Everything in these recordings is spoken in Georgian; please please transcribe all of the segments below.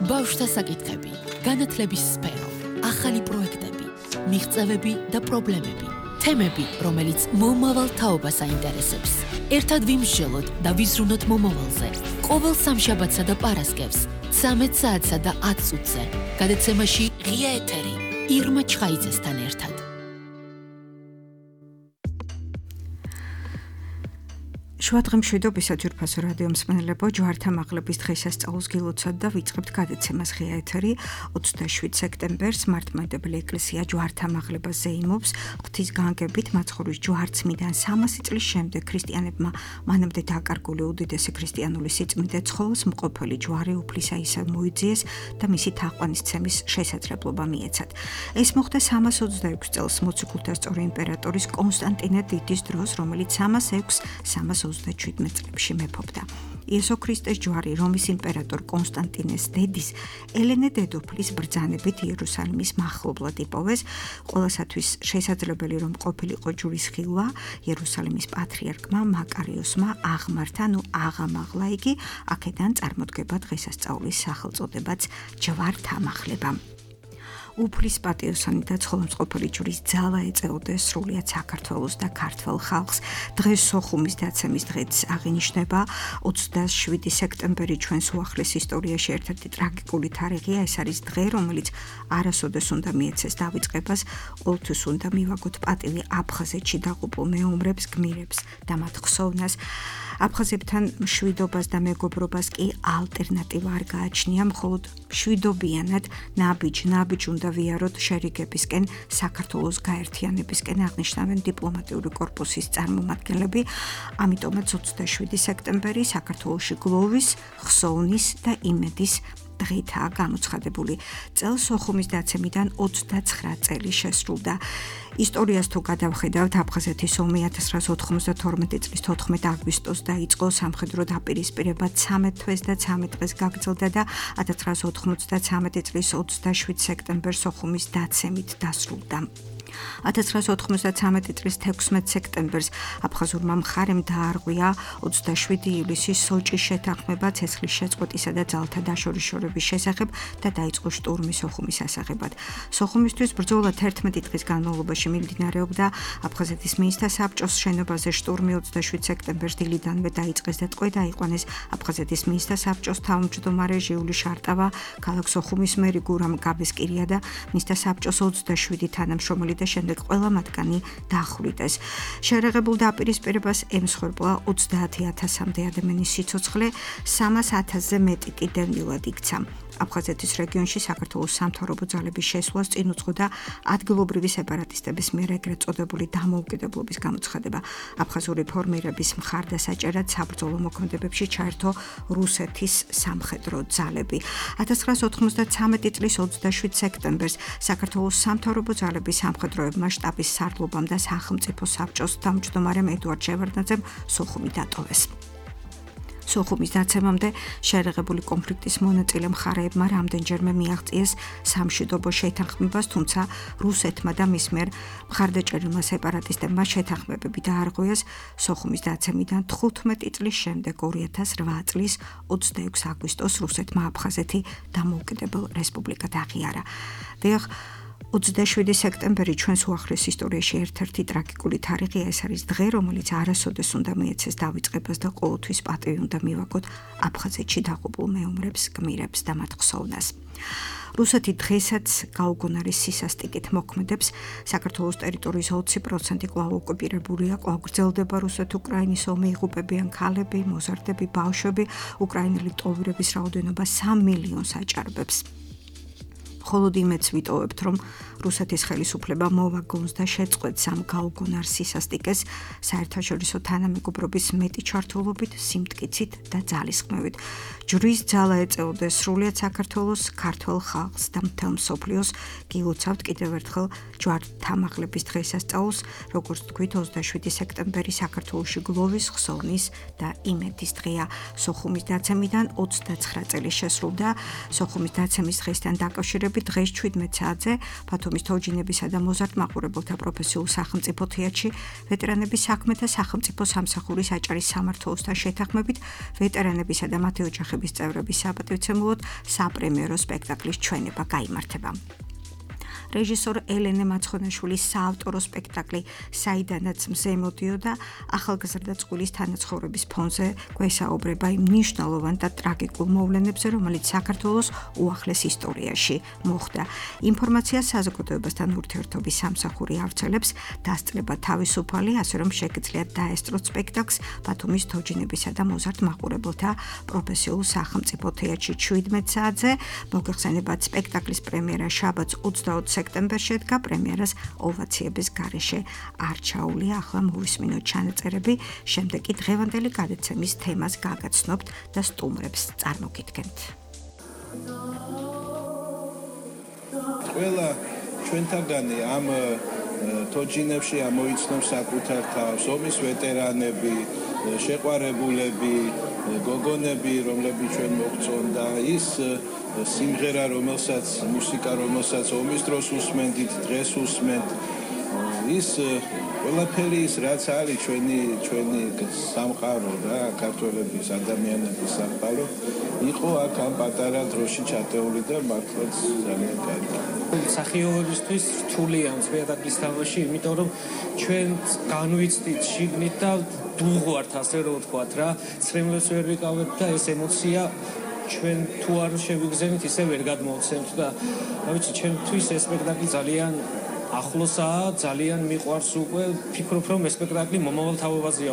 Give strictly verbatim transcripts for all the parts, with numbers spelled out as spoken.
ბავშვთა საკითხები, განათლების სფერო, ახალი პროექტები, მიღწევები და პრობლემები, თემები, რომელიც მომავალ თაობას აინტერესებს. ერთად ვიმსჯელოთ და ვიზრუნოთ მომავალზე. ყოველ სამშაბათსა და პარასკევს, ცამეტ საათსა და ათ წუთზე. გადაცემაში ღია ეთერი, ირმა ჩხაიძესთან ერთად. შუადღე მშვიდობისა ძვირფასო რადიო მსმენელებო, ჯვართა მაღლების დღესასწაულს გილოცავთ და ვიწყებთ გადაცემას ღია ეთერი. ოცდაშვიდ სექტემბერს მართლმადიდებელი ეკლესია ჯვართა მაღლებას ზეიმობს. ღვთის განგებით მაცხოვრის ჯვარცმიდან სამასი წლის შემდეგ ქრისტიანებმა მანამდე დაკარგული უდიდესი ქრისტიანული სიწმინდე ცხოველს მყოფელი ჯვარი უფლისა ისევ მოიძიეს და მისი თაყვანისცემის შესაძლებლობა მიეცათ. ეს მოხდა სამას ოცდაექვსი წელს მოციქულთა სწორი იმპერატორის კონსტანტინე დიდის დროს, რომელიც სამას ექვსს სამას ოცდაშვიდ წლებში მეფობდა. იესო ქრისტეს ჯვარი რომის იმპერატორ კონსტანტინეს დედის ელენე დედოფლის ბრძანებით იერუსალიმის მახლობლად იპოვეს. ყველასათვის შესაძლებელი რომ ყოფილიყო ჯვრის ხილვა, იერუსალიმის პატრიარქმა მაკარიოსმა აღმართა, ნუ აღამაღლა იგი, აქედან წარმოდგება დღესასწაულის სახელწოდებაც ჯვართამაღლება. უფლის პატიოსანი და ცხოველმწყობელი ჯვრის ძალა ეწეოდეს სრულიად საქართველოს და ქართველ ხალხს. დღეს სოხუმის დაცემის დღეც აღინიშნება. ოცდაშვიდი სექტემბერი ჩვენს უახლეს ისტორიაში ერთ-ერთი ტრაგიკული თარიღია. ეს არის დღე, რომელიც არასოდეს უნდა მიეცეს დავიწყებას. ყოველთვის უნდა მივაგოთ პატივი აფხაზეთში დაღუპულ მეომრებს, გმირებს და მათ ხსოვნას. აფხაზებთან მშვიდობას და მეგობრობას კი ალტერნატივა არ გააჩნია, მხოლოდ მშვიდობიანად ნაბიჯ-ნაბიჯ უნდა ვიაროთ შერიგებისკენ, საქართველოს გაერთიანებისკენ, აღნიშნავენ დიპლომატიური კორპუსის წარმომადგენლები. ამიტომაც ოცდაშვიდი სექტემბერი საქართველოში გლოვის, ხსოვნის და იმედის დღითაა გამოცხადებული. წელს სოხუმის დაცემიდან ოცდაცხრა წელი შესრულდა. ისტორიას თუ გადავხედავთ, აფხაზეთის ომი ათას ცხრაას ოთხმოცდათორმეტი წლის თოთხმეტ აგვისტოს დაიწყო, სამხედრო დაპირისპირება ცამეტ თვეს და ცამეტ დღეს გაგრძელდა და ათას ცხრაას ოთხმოცდათრამეტი წლის ოცდაშვიდ სექტემბერს სოხუმის დაცემით დასრულდა. ათას ცხრაას ოთხმოცდათრამეტი წლის თექვსმეტ სექტემბერს აფხაზურმა მხარემ დაარღვია ოცდაშვიდი ივლისის სოჭის შეთანხმება ცეცხლის შეწყვეტისა და ძალთა დაშორიშორების შესახებ და დაიწყო შტურმი სოხუმის ასაღებად. სოხუმისთვის ბრძოლა თერთმეტი დღის განმავლობაში მიმდინარეობდა. აფხაზეთის მინისტრთა საბჭოს შენობაზე შტურმი ოცდაშვიდ სექტემბერს დილიდანვე დაიწყეს და ტყვე დაიყვანეს აფხაზეთის მინისტრთა საბჭოს თავმჯდომარე ჟიული შარტავა, ქალაქ სოხუმის მერი გურამ გაბესკირია და მინისტრთა საბჭოს ოცდაშვიდი თანამშრომელი და შემდეგ ყველა მათგანი დახვრიტეს. შერეღებულ დაპირისპირებას ემსხვერპლა ოცდაათი ათასამდე ადამიანის სიცოცხლე, სამას ათასზე მეტი კი დევნილად იქცა. აფხაზეთის რეგიონში საქართველოს სამთავრობო ძალების შესვლას წინ უძღოდა ადგილობრივი სეპარატისტების მიერ ეგრეთ წოდებული დამოუკიდებლობის გამოცხადება. აფხაზური ფორმირების მხარდასაჭერად საბრძოლო მოქმედებებში ჩაერთო რუსეთის სამხედრო ძალები. ათას ცხრაას ოთხმოცდათრამეტი წლის ოცდაშვიდ სექტემბერს საქართველოს სამთავრობო ძალების სამხედროებმა შტაბის სარდლობამ და სახელმწიფო საბჭოს თავმჯდომარემ ედუარდ შევარდნაძემ სოხუმი დატოვეს. სოხუმის დაცემამდე შერეღებული კონფლიქტის მონაწილე მხარეებმა რამდენჯერმე მიაღწიეს სამშვიდობო შეთანხმებას, თუმცა რუსეთმა და მის მიერ მხარდაჭერილმა სეპარატისტებმა შეთანხმებები დაარღვიეს. სოხუმის დაცემიდან თხუთმეტი წლის შემდეგ ორი ათას რვა წლის ოცდაექვსი აგვისტოს რუსეთმა აფხაზეთი დამოუკიდებელ რესპუბლიკად აღიარა. დიახ, ოცდაშვიდი სექტემბერი ჩვენს უახლეს ისტორიაში ერთ-ერთი ტრაგიკული თარიღია. ეს არის დღე, რომელიც არასოდეს უნდა მიეცეს დავიწყებას და ყოველთვის პატივი უნდა მივაგოთ აფხაზეთში დაღუპულ მეომრებს, გმირებს და მათ ხსოვნას. რუსეთი დღესაც გაუგონარის სისასტიკით მოქმედებს. საქართველოს ტერიტორიის ოცი პროცენტი კვლავ ოკუპირებულია, კვლავ გრძელდება რუსეთ-უკრაინის ომი, იღუპებიან ქალები, მოზარდები, ბავშვები. უკრაინელი ტოვირების რაოდენობა სამ მილიონს აჭარბებს. მხოლოდ იმედს ვიტოვებთ, რომ რუსეთის ხელისუფლება მოვაგონს და შეწყვეტს ამ გაუგონარ სისასტიკეს საერთაშორისო თანამეგობრობის მეტი ჩართულობით, სიმტკიცით და ძალისხმევით. ჯვრის ძალა ეწეოდეს სრულიად საქართველოს, ქართველ ხალხს და მთელ მსოფლიოს. გილოცავთ კიდევ ერთხელ ჯვართამაღლების დღესასწაულს, როგორც თქვით, ოცდაშვიდი სექტემბერი საქართველოში გლოვის, ხსოვნის და იმედის დღეა. სოხუმის დაცემიდან ოცდაცხრა წელი შესრულდა. სოხუმის დაცემის დღესთან დაკავშირებით განხორციელებით დღეს შვიდმეტ საათზე ბათუმის თოჯინებისა და მოზარდ-მაყურებელთა პროფესიულ სახელმწიფო თეატრში ვეტერანების საქმეთა სახელმწიფო სამსახურის აჭარის სამმართველოსთან შეთანხმებით ვეტერანებისა და მათი ოჯახების წევრების საპატივცემულოდ საპრემიერო სპექტაკლის ჩვენება გაიმართება. რეჟისორ ელენე მაცხონაშვილის საავტორო სპექტაკლი საიდანაც მზე მოდიოდა ახალგაზრდა წყვილის თანაცხოვრების ფონზე გვესაუბრება იმ მნიშვნელოვან და ტრაგიკულ მოვლენებზე, რომელიც საქართველოს უახლეს ისტორიაში მოხდა. ინფორმაციას საზოგადოებასთან ურთიერთობის სამსახური ავრცელებს დასწრება თავისუფალი, ასე რომ შეგიძლიათ დაესწროთ სპექტაკლს ბათუმის თოჯინებისა და მოზარდ-მაყურებელთა პროფესიულ სახელმწიფო თეატრში შვიდმეტ საათზე. მოგეხსენებათ, სპექტაკლის პრემიერა შაბათს ოცდაოთხ სექტემბერში ედგა, პრემიერას ოვაციების გარეშე არჩაულია. ახლა მოვისმინოთ ჩანაწერები, შემდეგ კი დღევანდელი გადაცემის თემას გაგაცნობთ და სტუმრებს წარმოგიდგენთ. ყველა ჩვენთაგანი ამ თოჯინებში ამოიცნობს საკუთარ თავს, ომის ვეტერანები, შეყვარებულები, გოგონები, რომლებიც ჩვენ მოგწონთ და ის სიმღერა, რომელსაც მუსიკა, რომელსაც ომის დროს უსმენდით, დღეს უსმენთ, ის ყველაფერი ის რაც არის ჩვენი ჩვენი სამყარო რა, ქართველების ადამიანების სამყარო, იყო აქ ამ პატარა დროში ჩათეული და მართლაც ძალიან კარგი. მსახიობებისთვის რთულია სპექტაკლის თამაში, იმიტომ რომ ჩვენ განვიცდით შიგნით და დუღვართ, ასე რომ ვთქვათ რა, ცრემლებს ვერ ვიკავებთ და ეს ემოცია ჩვენ თუ არ შევიგზავნით, ისე ვერ გადმოვცემთ და რა ვიცი, ჩემთვის ეს სპექტაკლი ძალიან ახლოსაა, ძალიან მიყვარს უკვე. ფიქრობ, რომ ეს სპექტაკლი მომავალ თაობაზეა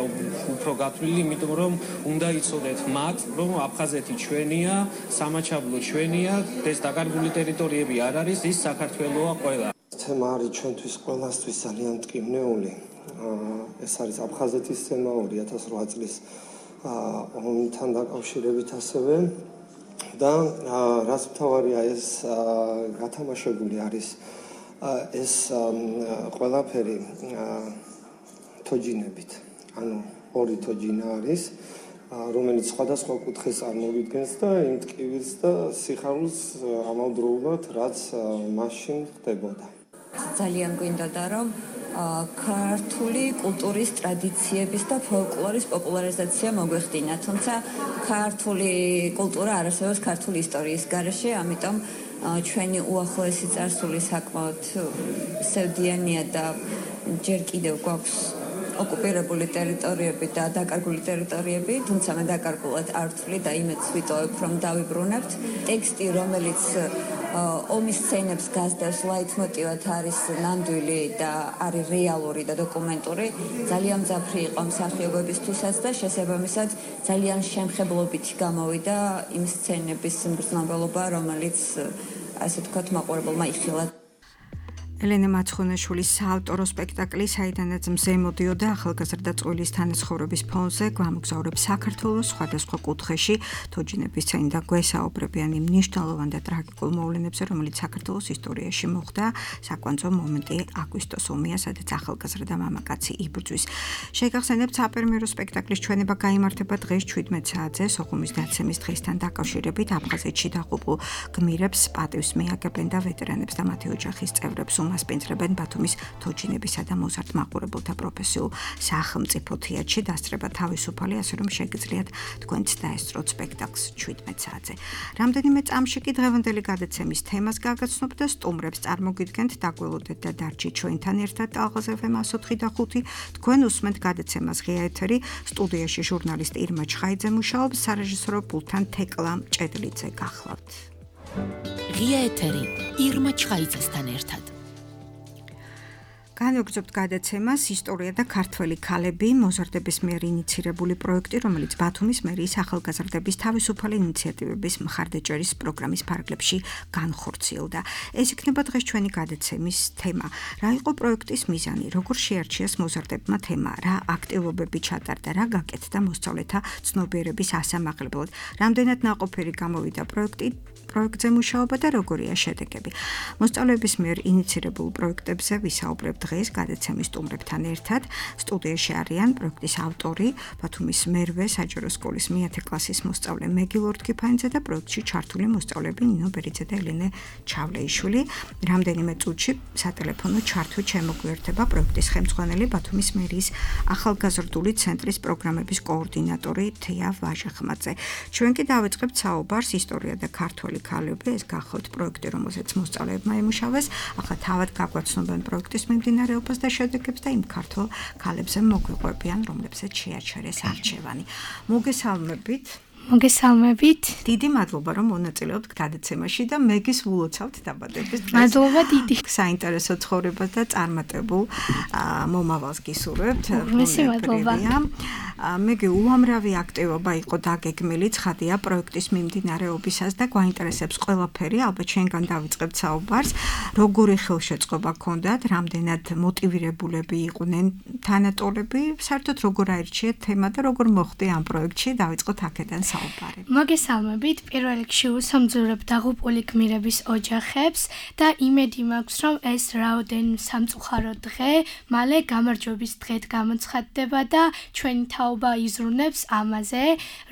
უფრო გათვლილი, იმიტომ რომ უნდა იცოდეთ მათ, რომ აფხაზეთი ჩვენია, სამაჩაბლო ჩვენია, ეს დაკარგული ტერიტორიები არ არის, ის საქართველოა ყველა. თემა არის ჩვენთვის ყველასთვის ძალიან მტკივნეული. ეს არის აფხაზეთის თემა ორი ათას ოთხ წლის ომთან დაკავშირებით ასევე. და რაც მთავარია, ეს გათამაშებული არის ეს ყველაფერი თოჯინებით. ანუ ორი თოჯინა არის, რომელიც სხვადასხვა კუთხეს წარმოგიდგენს და იმ ტკივილს და სიხარულს ამავდროულად, რაც მაშინ ხდებოდა. ძალიან გვინდოდა, რომ ქართული კულტურის ტრადიციების და ფოლკლორის პოპულარიზაცია მოგვეხდინა, თუმცა ქართული კულტურა არ არსებობს ქართული ისტორიის გარეშე, ამიტომ ჩვენი უახლოესი წარსული საკმაოდ სევდიანია და ჯერ კიდევ გვაქვს ოკუპირებული ტერიტორიები და დაკარგული ტერიტორიები, თუმცა მე დაკარგულად არ ვთვლი და იმედს ვიტოვებ, რომ დავიბრუნებთ. ტექსტი, რომელიც ომის სცენებს გასდევს, ლაითმოტივად არის ნამდვილი და არის რეალური და დოკუმენტური, ძალიან მძაფრი იყო მსახიობებისთვისაც და შესაბამისად ძალიან შემხებლობით გამოვიდა იმ სცენების მგრძნობელობა, რომელიც ასე ვთქვათ, მაყურებელმა იხილა. ელენე მაცხონაშვილის საავტორო სპექტაკლი საიდანაც მზე მოდიოდა ახალგაზრდა წყვილის თანაცხოვრების ფონზე გვამოგზაურებს საქართველოს სხვადასხვა კუთხეში თოჯინების წინ და გვესაუბრებიან იმ მნიშვნელოვან და ტრაგიკულ მოვლენებზე, რომელიც საქართველოს ისტორიაში მოხდა. საკვანძო მომენტი აგვისტოს ომია, სადაც ახალგაზრდა მამაკაცი იბრძვის. შეგახსენებთ, საპრემიერო სპექტაკლის ჩვენება გაიმართება დღეს შვიდმეტ საათზე სოხუმის დაცემის დღესთან დაკავშირებით. აფხაზეთში დაღუპულ გმირებს პატივს მიაგებენ და ვეტერანებს და მათი ოჯახის წევრებს მასპინძლებენ ბათუმის თოჯინებისა და მოზარდ-მაყურებელთა პროფესიულ სახელმწიფო თეატრში. დასწრება თავისუფალი, ასე რომ შეგიძლიათ თქვენც დაესწროთ სპექტაკლს შვიდმეტ საათზე. რამდენიმე წამში კი დღევანდელი გადაცემის თემას გაგაცნობთ და სტუმრებს წარმოგიდგენთ. დაგველოდეთ და დარჩით ჩვენთან ერთად ტალღაზ ეფ ემ εκατო ოთხი და ხუთი. თქვენ უსმენთ გადაცემას ღია ეთერი. სტუდიაში ჟურნალისტ ირმა ჩხაიძე მუშაობს, სარეჟისორო პულტთან თეკლა მჭედლიძე გახლავთ. ღია ეთერი ირმა ჩხაიძესთან ერთად. განვაგრძობთ გადაცემას ისტორია და ქართველი ქალები, მოზარდების მიერ ინიცირებული პროექტი, რომელიც ბათუმის მერიის ახალგაზრდების თავისუფალი ინიციატივების მხარდაჭერის პროგრამის ფარგლებში განხორციელდა. ეს იქნება დღეს ჩვენი გადაცემის თემა. რა იყო პროექტის მიზანი, როგორ შეარჩიეს მოზარდებმა თემა, რა აქტივობები ჩატარდა, რა გაკეთდა მოსწავლეთა ცნობიერების ასამაღლებლად, რამდენად ნაყოფიერი გამოვიდა პროექტი პროექტზე მუშაობა და როგორია შედეგები. მოსწავლეების მიერ ინიცირებულ პროექტებზე ვისაუბრებთ დღეს დღეს გადაცემის სტუმრებთან ერთად. სტუდიაში არიან პროექტის ავტორი, ბათუმის მერვე საჯარო სკოლის მეათე კლასის მოსწავლე მეგი ლორთქიფანიძე და პროექტში ჩართული მოსწავლეები ნინო ბერიძე და ელენე ჩავლეიშვილი. რამდენიმე წუთში სატელეფონო ჩართვით შემოგვიერთება პროექტის ხელმძღვანელი ბათუმის მერიის ახალგაზრდული ცენტრის პროგრამების კოორდინატორი თეა ვაჟახმაძე. ჩვენ კი დავიწყებთ საუბარს ისტორია და ქართველი ქალები, ეს გახლავთ პროექტი, რომელზეც მოსწავლეებმა ემუშავეს. ახლა თავად გაგვაცნობენ პროექტის მიმდინარეობას და შედეგებს და იმ ქართველ ქალებზე მოგვიყვებიან, რომლებსაც შეაჩერეს არჩევანი. მოგესალმებით. მოგესალმებით. დიდი მადლობა, რომ მონაწილეობთ გადაცემაში და მეგის ვლოცავთ დაბადების დღეს. მადლობა დიდი. საინტერესო ცხოვრებას და წარმატებულ მომავალს გისურვებთ. მესი მადლობა. მეგი უამრავი აქტივობა იყო დაგეგმილი, ცხადია პროექტის მიმდინარეობისას და გვაინტერესებს ყველაფერი, ალბათ შენგან დავიწყებთ საუბარს. როგორი ხელშეწყობა ჰქონდათ, რამდენად მოტივირებულები იყვნენ თანატოლები, საერთოდ როგორ აირჩიეთ თემა და როგორ მოხდა ამ პროექტში, დავიწყოთ აქედან. მოგესალმებით, პირველ რიგში უსამძურებ დაღუპული გმირების ოჯახებს და იმედი მაქვს, რომ ეს რაოდენ სამწუხარო დღე მალე გამარჯვების დღედ გამოცხადდება და ჩვენი თაობა იზრუნებს ამაზე,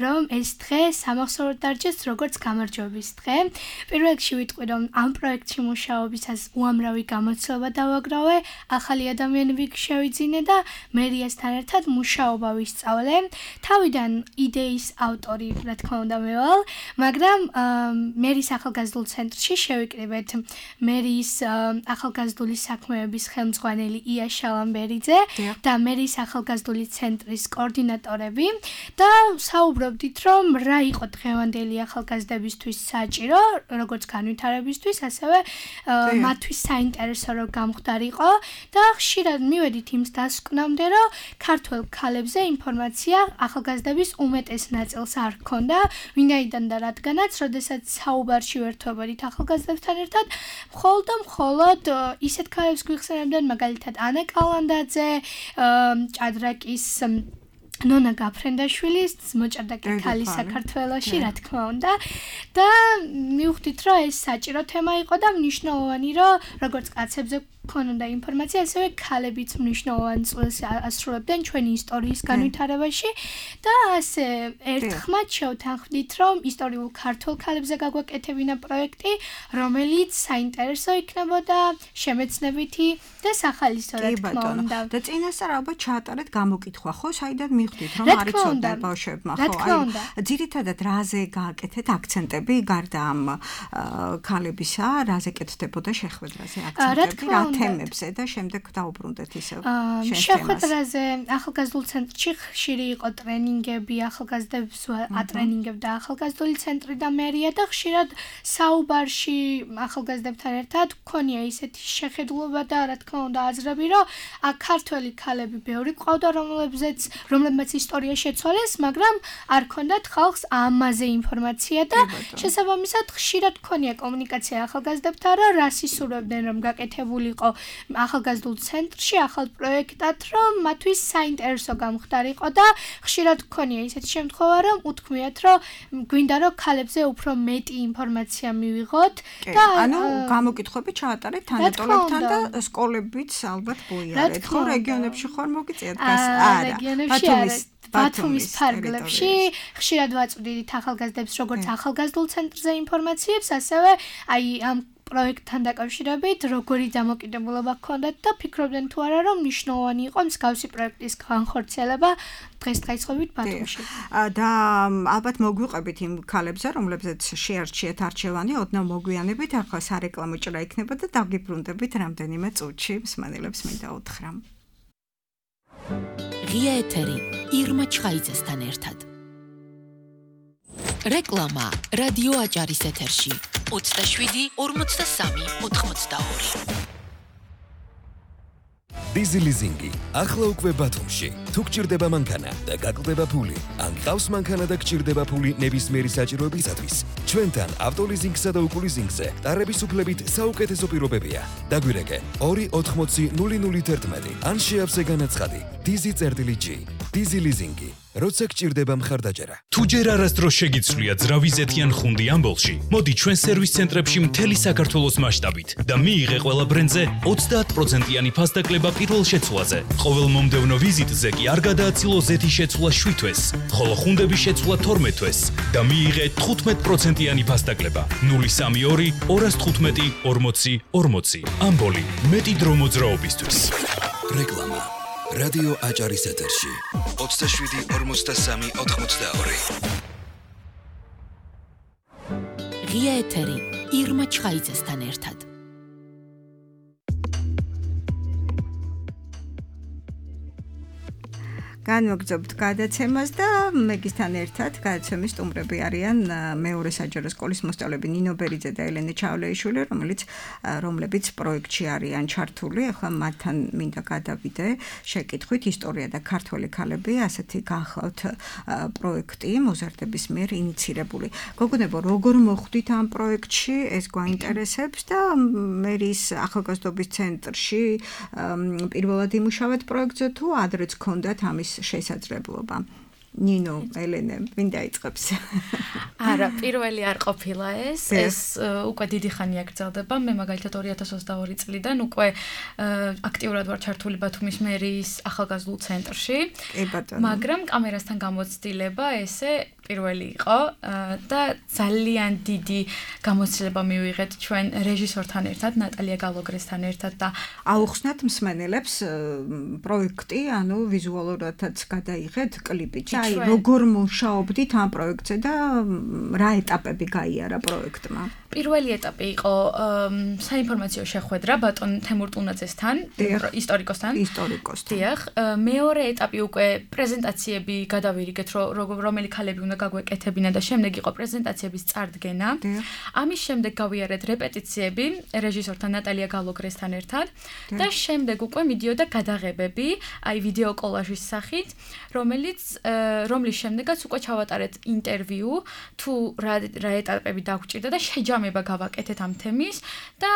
რომ ეს დღე სამახსოვროდ დარჩეს როგორც გამარჯვების დღე. პირველ რიგში ვიტყვი, რომ ამ პროექტში მუშაობისას უამრავი გამოცდილება დავაგროვე, ახალი ადამიანები შევიძინე და მერიასთან ერთად მუშაობა ვისწავლე. თავიდან იდეის ავტორი რა თქმა უნდა მე ვალ, მაგრამ მერის ახალგაზრდულ ცენტრში შევიკრიბეთ მერის ახალგაზრდული საქმეების ხელმძღვანელი ია შალამბერიძე და მერის ახალგაზრდული ცენტრის კოორდინატორები და საუბრობდით, რომ რა იყო დღევანდელი ახალგაზრდებისთვის საჭირო, როგორც განვითარებისთვის, ასევე მათთვის საინტერესო რომ გამხდარიყო და ხშირად მივედით იმ დასკვნამდე, რომ ქართველ ქალებზე ინფორმაცია ახალგაზრდების უმეტეს ნაწილს არ ქონდა, ვინაიდან და რადგანაც, როდესაც საუბარში ვერთვებოდით ახალგაზრდებთან ერთად, მხოლოდ და მხოლოდ ისეთ ქალებს გვიხსენებდნენ, მაგალითად ანა კალანდაძე, ჭადრაკის ნონა გაფრენდაშვილის მოჭადრაკე ქალი საქართველოში, რა თქმა უნდა და მივხვდით, რომ ეს საჭირო თემა იყო და მნიშვნელოვანი, რომ როგორც კაცებზე ქონოდა ინფორმაცია, ასევე ქალებიც მნიშვნელოვან წვლილს ასრულებდნენ ჩვენი ისტორიის განვითარებაში და ასე ერთხმად შევთანხმდით, რომ ისტორიულ ქართულ ქალებზე გაგვაკეთებინა პროექტი, რომელიც საინტერესო იქნებოდა, შემეცნებითი და სახალისო, რა თქმა უნდა. და წინასწარ ალბათ ჩაატარეთ გამოკითხვა, ხო, საიდან მივხვდით, რომ არ იცოდნენ ბავშვებმა, ხო? აი, ძირითადად რაზე გააკეთეთ აქცენტები გარდა ამ ქალებისა, რაზე კეთდებოდა შეხვედრაზე აქცენტები, რა თემებზე და შემდეგ დაუბრუნდეთ ისევ შენ თემას. შეხვედრაზე ახალგაზრდულ ცენტრში ხშირი იყო ტრენინგები, ახალგაზრდებს ატრენინგებდა ახალგაზრდული ცენტრი და მერია და ხშირად საუბარში ახალგაზრდებთან ერთად ქონია ისეთი შეხედულობა და რა თქმა უნდა აზრები, რომ აქ ქართველი ქალები ბევრი ყავდა, რომლებზეც რომლებმაც ისტორია შეცვალეს, მაგრამ არ ქონდათ ხალხს ამაზე ინფორმაცია და შესაბამისად ხშირად ქონია კომუნიკაცია ახალგაზრდებთან, რომ რას ისურვებდნენ, რომ გაკეთებულიყო ახალგაზრდულ ცენტრში ახალ პროექტად, რომ მათთვის საინტერესო გამხდარიყო და ხშირად ქონია ისეთი შემთხვევა, რომ უთქმიათ, რომ გვინდა რომ ქალებზე უფრო მეტი ინფორმაცია მივიღოთ და ანუ გამოკითხვები ჩაატარეთ თანატოლებთან და სკოლებიც ალბათ ბოიარეთ, ხო, რეგიონებში ხარ მოგიწიათ გას? არა, ბათუმის ბათუმის ფარგლებში ხშირად ვაწვდით ახალგაზრდებს როგორც ახალგაზრდულ ცენტრზე ინფორმაციებს, ასევე აი ამ პროექტთან დაკავშირებით როგორი დამოკიდებულება ჰქონდათ და ფიქრობდნენ თუ არა, რომ მნიშვნელოვანი იყო მსგავსი პროექტის განხორციელება დღესდღეობით ბათუმში. და ალბათ მოგვიყვებით იმ ქალებზე, რომლებზეც შეარჩიეთ არჩევანი, ოდნავ მოგვიანებით, ახლა სარეკლამო ჭრა იქნება და დაგიბრუნდებით რამდენიმე წუთში, მსმენელებს მინდა უთხრა. ღია ეთერი ირმა ჩხაიძესთან ერთად. რეკლამა რადიო აჭარის ეთერში ოცდაშვიდი ორმოცდასამი ოთხმოცდაორი. Dizzy Leasing-ი ახლა უკვე ბათუმში. თუ გჭირდება მანქანა და გაკლდება ფული, ან გყავს მანქანა და გჭირდება ფული ნებისმიერი საჭიროებისათვის, ჩვენთან ავტოლიზინგსა და უკულიზინგზე ტარების უფლებით საუკეთესო პირობებია. დაგვირეკე ორი ოთხმოცი ნული ნული თერთმეტი ან შეავსე განაცხადი Dizzy წერტილი G. Dizzy Leasing-ი როცა გჭირდება მხარდაჭერა. თუ ჯერ არასდროს შეგიცვლია ძრავიზეთიან ხუნდი ამბოლში, მოდი ჩვენ სერვის ცენტრებში მთელი საქართველოს მასშტაბით და მიიღე ყველა ბრენდზე ოცდაათ პროცენტიანი ფასდაკლება პირველ შეცვლაზე. ყოველ მომდევნო ვიზიტზე კი არ გადააცილო ზეთის შეცვლა შვიდ თვეს, ხოლო ხუნდების შეცვლა თორმეტ თვეს და მიიღე თხუთმეტ პროცენტიანი ფასდაკლება. ნული სამი ორი ორას თხუთმეტი ორმოცი ორმოცი. ამბოლი, მეტი დრო მოძრაობისთვის. რეკლამა. რადიო აჭარის ეთერში. ოცდაშვიდი ორმოცდასამი ოთხმოცდაორი. ღია ეთერი ირმა ჩხაიძესთან ერთად. განვაგრძობთ გადაცემას და მეგისთან ერთად გადაცემის სტუმრები არიან მეორე საჯარო სკოლის მოსწავლეები ნინო ბერიძე და ელენე ჩავლეიშვილი, რომელიც რომლებიც პროექტში არიან ჩართული. ახლა მათთან მინდა გადავიდე შეკითხვით ისტორია და ქართველი ქალები, ასეთი გახლავთ პროექტი მოზარდების მიერ ინიცირებული. გოგონებო, როგორ მოხვდით ამ პროექტში? ეს გვაინტერესებს და მერის ახალგაზრდობის ცენტრში პირველად იმუშავეთ პროექტზე თუ ადრეც გქონდათ ამის შესაძლებლობა. ნინო, ელენე, ვინ დაიწყებს? არა, პირველი არ ყოფილა ეს. ეს უკვე დიდი ხანია გრძელდება. მე მაგალითად ორი ათას ოცდაორი წლიდან უკვე აქტიურად ვარ ჩართული ბათუმის მერის ახალგაზრდულ ცენტრში. მაგრამ კამერასთან გამოცდილება ესე პირველი იყო და ძალიან დიდი გამოცდილება მივიღეთ ჩვენ რეჟისორთან ერთად, ნატალია გალოგრესთან ერთად და აუხსნათ მსმენელებს პროექტი, ანუ ვიზუალურადაც გადაიღეთ კლიპი. აი, როგორ მუშაობდით ამ პროექტზე და რა ეტაპები გაიარა პროექტმა? პირველი ეტაპი იყო საინფორმაციო შეხვედრა ბატონ თემურ ტუნაძესთან, ისტორიკოსთან. ისტორიკოსთან. დიახ, მეორე ეტაპი უკვე პრეზენტაციები გადავირიგეთ, რომელი ქალები უნდა გაგვეკეთებინა და შემდეგ იყო პრეზენტაციების წარდგენა. ამის შემდეგ გავიარეთ რეპეტიციები რეჟისორთან ნატალია გალოგრესთან ერთად და შემდეგ უკვე მიდიოდა გადაღებები, აი ვიდეო კოლაჟის სახით, რომელიც რომლის შემდეგაც უკვე ჩავატარეთ ინტერვიუ, თუ რა რა ეტაპები დაგვჭირდა და შეჯამება გავაკეთეთ ამ თემის და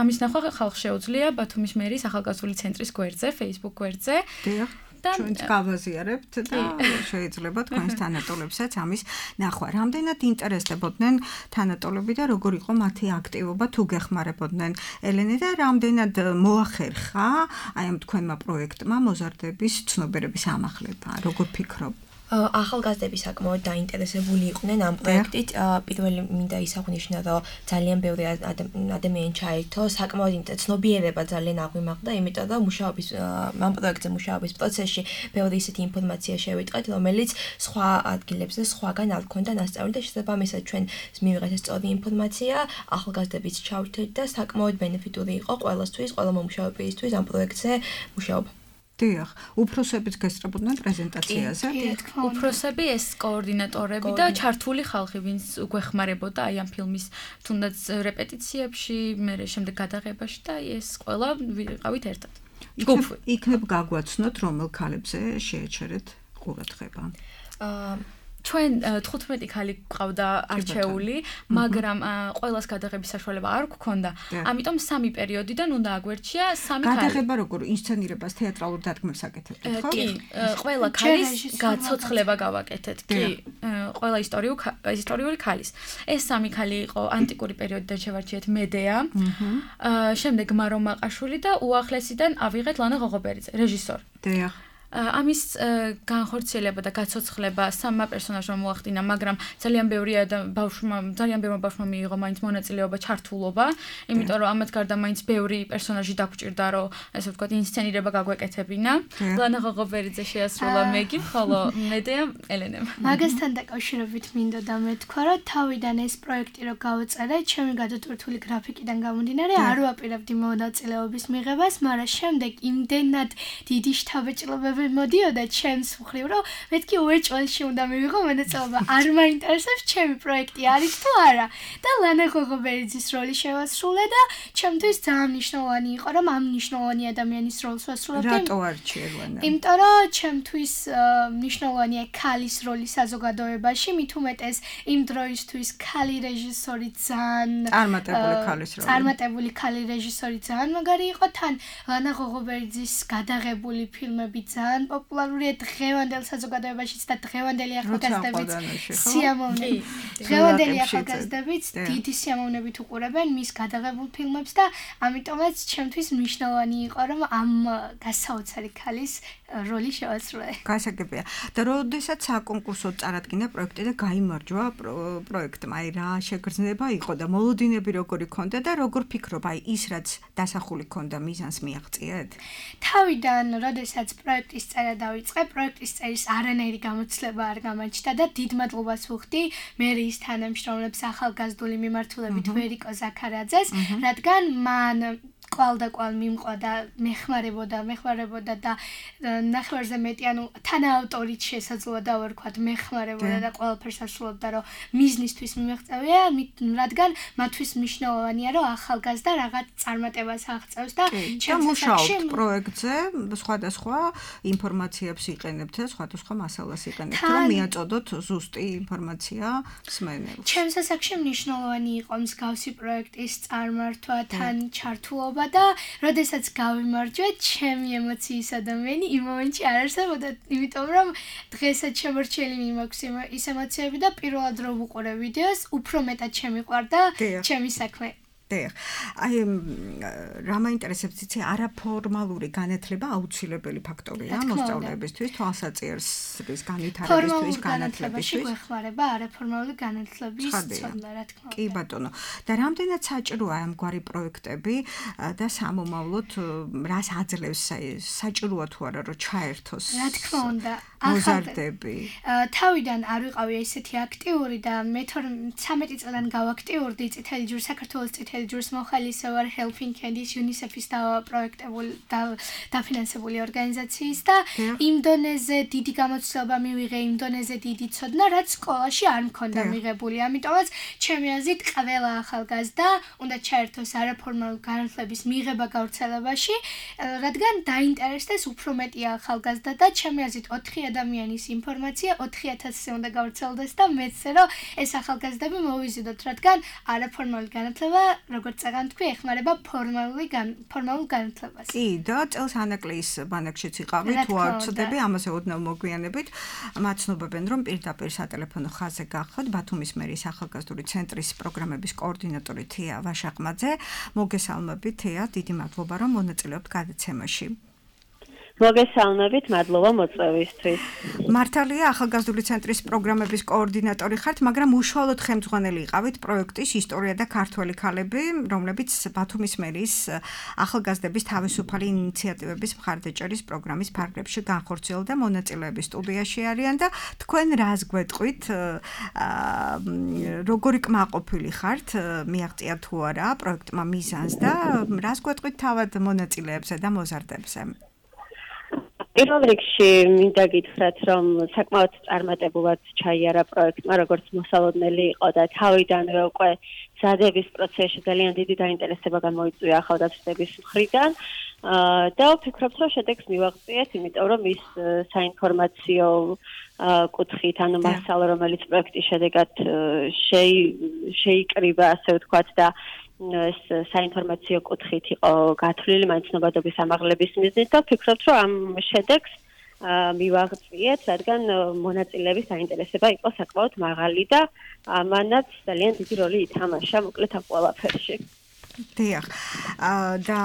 ამის ნახვა ხალხს შეუძლია ბათუმის მერის ახალგაზრდული ცენტრის გვერდზე, Facebook გვერდზე. ჩვენც გავაზიარებთ და შეიძლება თქვენს თანატოლებსაც ამის ნახვა. რამდენად ინტერესდებოდნენ თანატოლები და როგორ იყო მათი აქტივობა თუ გეხმარებოდნენ ელენე და რამდენად მოახერხა აი ამ თქვენმა პროექტმა მოზარდების ცნობიერების ამაღლება? როგორ ფიქრობ? ახალგაზრდები საკმაოდ დაინტერესებული იყვნენ ამ პროექტით. პირველი მინდა ისაღვნიშნა, რომ ძალიან ბევრი ადამიანი ჩაერთო, საკმაოდ ცნობიერება ძალიან აღვიმაღდა, იმიტომ რომ მუშაობის ამ პროექტზე მუშაობის პროცესში ბევრი ისეთი ინფორმაცია შევიტყეთ, რომელიც სხვა ადგილებზე სხვაგან არ ქონდა ნასწავლი და შესაბამისად ჩვენ მივიღეთ ეს სწორი ინფორმაცია, ახალგაზრდებიც ჩავრთეთ და საკმაოდ ბენეფიტური იყო ყველასთვის, ყველა მომუშავეებისთვის ამ პროექტზე მუშაობა. დიახ, უფროსებიც გესწრებოდნენ პრეზენტაციაზე. უფროსები ეს კოორდინატორები და ჩართული ხალხი, ვინც გვეხმარებოდა აი ამ ფილმის თუნდაც რეპეტიციებში, მე შემდეგ გადაღებაში და ეს ყველა ვიყავით ერთად. იქნებ გაგვაცნოთ, რომელ ქალებზე შეეჩერეთ ყურადღება? აა ჩვენ თხუთმეტი ქალი ყავდა არჩეული, მაგრამ ყველას გადაღების საშუალება არ გქონდა. ამიტომ სამი პერიოდიდან უნდა აგვერჩია სამი ქალი. გადაღება როგორ ინსცენირებას თეატრალურ დადგმებს აკეთებთ, ხო? კი, ყველა ქალის გაცოცხლება გავაკეთეთ. კი, ყველა ისტორიული ქალის. ეს სამი ქალი იყო ანტიკური პერიოდიდან შევარჩიეთ მედეა. შემდეგ მარო მაყაშვილი და უახლესიდან ავიღეთ ლანა ღოღობერიძე, რეჟისორი. დიახ. ამის განხორციელება და გაცოცხლება სამმა პერსონაჟმა მოახდინა, მაგრამ ძალიან ბევრი ბავშვმა, ძალიან ბევრმა ბავშვმა მიიღო მაინც მონაწილეობა, ჩართულობა, იმიტომ რომ ამათ გარდა მაინც ბევრი პერსონაჟი დაგვჭირდა, რომ ესე ვთქვათ, ინსცენირება გაგვეკეთებინა. ლანა ღოღობერიძე შეასრულა მეგი, ხოლო მედეა ელენემ. მაგასთან დაკავშირებით მინდა და მეთქვა, რომ თავიდან ეს პროექტი რო გავწერე, ჩემი გადატვირთული გრაფიკიდან გამომდინარე, არ ვაპირებდი მონაწილეობის მიღებას, მაგრამ შემდეგ იმდენად დიდი შთაბეჭდილებები მოდიოდა ჩემს მხრივ, რომ მეთქი უეჭველში უნდა მივიღო მონაწილეობა. არ მაინტერესებს ჩემი პროექტი არის თუ არა. და ლანა ღოღობერიძის როლი შევასრულე და ჩემთვის ძალიან მნიშვნელოვანი იყო, რომ ამ მნიშვნელოვანი ადამიანის როლს ვასრულებდი. რატო არჩიე ლანა? იმიტომ რომ ჩემთვის მნიშვნელოვანია ქალის როლი საზოგადოებაში, მით უმეტეს იმ დროისთვის ქალი რეჟისორი ძალიან წარმატებული ქალის როლი. წარმატებული ქალი რეჟისორი ძალიან მაგარი იყო, თან ლანა ღოღობერიძის გადაღებული ფილმები ძალიან ძალიან პოპულარულია დღევანდელ საზოგადოებაშიც და დღევანდელი ახალგაზრდებიც სიამოვნებით. დღევანდელი ახალგაზრდებიც დიდი სიამოვნებით უყურებენ მის გადაღებულ ფილმებს და ამიტომაც ჩემთვის მნიშვნელოვანი იყო რომ ამ გასაოცარი ქალის როლი შევასრულე. გასაგებია. და როდესაც საკონკურსო წარადგინა პროექტი და გაიმარჯვა პროექტმა, აი რა შეგრძნება იყო და მოლოდინები როგორი ქონდა და როგორ ფიქრობ, აი ის რაც დასახული ქონდა მიზანს მიაღწიეთ? თავიდან, როდესაც პროექტის წერა დავიწყე, პროექტის წერის არანაირი გამოცდილება არ გამაჩნდა და დიდ მადლობას ვუხდი მერიის თანამშრომლებს ახალგაზრდული მიმართულებით ვერიკო ზაქარაძეს, რადგან მან კვალ და კვალ მიმყვა და მეხმარებოდა, მეხმარებოდა და ნახევარზე მეტი, ანუ თანაავტორით შესაძლოა დავარქვათ, მეხმარებოდა და ყველაფერს ასრულებდა, რომ მიზნისთვის მიმეღწევია, რადგან მათთვის მნიშვნელოვანია, რომ ახალგაზრდა რაღაც წარმატებას აღწევს და მუშაობთ პროექტზე, სხვადასხვა ინფორმაციებს იყენებთ და სხვადასხვა მასალას იყენებთ, რომ მიაწოდოთ ზუსტი ინფორმაცია მსმენელს. ჩემს ასაკში მნიშვნელოვანი იყო მსგავსი პროექტის წარმართვა, თან ჩართულობა და როდესაც გავიმარჯვე, ჩემი ემოციის ადამიანი იმ მომენტში არ არსებობდა, იმიტომ რომ დღესაც შემორჩენილი მაქვს ის ემოციები და პირველად რომ ვუყურე ვიდეოს, უფრო მეტად შემიყვარდა ჩემი საქმე. აი რა მაინტერესებს იცი არაფორმალური განათლება აუცილებელი ფაქტორია მოსწავლეებისთვის თვალსაჩინოს განვითარებისთვის განათლებისთვის გვეხმარება არაფორმალური განათლების ცოდნა რა თქმა უნდა კი ბატონო და რამდენად საჭიროა ამგვარი პროექტები და სამომავლოდ რას აძლევს საჭიროა თუ არა რომ ჩაერთოს რა თქმა უნდა მოზარდები თავიდან არ ვიყავი ესეთი აქტიური და მე თორმეტ წლიდან გავაქტიურდი წითელი ჯვრის საქართველოს წითელი ჯვრის მოხალისე ვარ Helping Hands UNICEF-ის და პროექტებული და დაფინანსებული ორგანიზაციის და იმ დონეზე დიდი გამოცდილება მივიღე, იმ დონეზე დიდი ცოდნა, რაც სკოლაში არ მქონდა მიღებული. ამიტომაც ჩემი აზრით ყველა ახალგაზრდა უნდა ჩაერთოს არაფორმალური განათლების მიღება გავრცელებაში, რადგან დაინტერესდეს უფრო მეტი ახალგაზრდა და ჩემი აზრით ოთხი ადამიანის ინფორმაცია ოთხი ათასზე უნდა გავრცელდეს და მეცე რომ ეს ახალგაზრდები მოვიზიდოთ, რადგან არაფორმალური განათლება როგორც წაგან თქვი, ეხმარება ფორმალური ფორმალურ განათლებას. კი, და წელს ანაკლიის ბანაკშიც იყავი, თუ არ ვწდები, ამაზე ოდნავ მოგვიანებით მაცნობებენ, რომ პირდაპირ სატელეფონო ხაზზე გახოთ ბათუმის მერიის ახალგაზრდული ცენტრის პროგრამების კოორდინატორი თეა ვაშაყმაძე. მოგესალმებით, თეა, დიდი მადლობა, რომ მონაწილეობთ გადაცემაში. მოგესალმებით, მადლობა მოწვევისთვის. მართალია, ახალგაზრდული ცენტრის პროგრამების კოორდინატორი ხართ, მაგრამ უშუალოდ ხელმძღვანელი იყავით პროექტის ისტორია და ქართველი ქალები, რომლებიც ბათუმის მერიის ახალგაზრდების თავისუფალი ინიციატივების მხარდაჭერის პროგრამის ფარგლებში განხორციელდა მონაწილეები სტუდიაში არიან და თქვენ რას გვეტყვით, როგორი კმაყოფილი ხართ, მიაღწია თუ არა პროექტმა მიზანს და რას გვეტყვით თავად მონაწილეებზე და მოზარდებზე? პირველ რიგში მინდა გითხრათ, რომ საკმაოდ წარმატებულად ჩაიარა პროექტმა, როგორც მოსალოდნელი იყო და თავიდანვე უკვე ზადების პროცესში ძალიან დიდი დაინტერესება გამოიწვია ახალგაზრდების მხრიდან და ვფიქრობ, რომ შედეგს მივაღწიეთ, იმიტომ რომ ის საინფორმაციო კუთხით, ანუ მასალა, რომელიც პროექტის შედეგად შეიკრიბა, ასე ვთქვათ და ეს საინფორმაციო კუთხით იყო გათვლილი მაინცნობადობის ამაღლების მიზნით და ვფიქრობ, რომ ამ შედეგს მივაღწიეთ, რადგან მონაწილეების დაინტერესება იყო საკმაოდ მაღალი და ამანაც ძალიან დიდი როლი ითამაშა მოკლედ ამ ყველაფერში. დიახ. და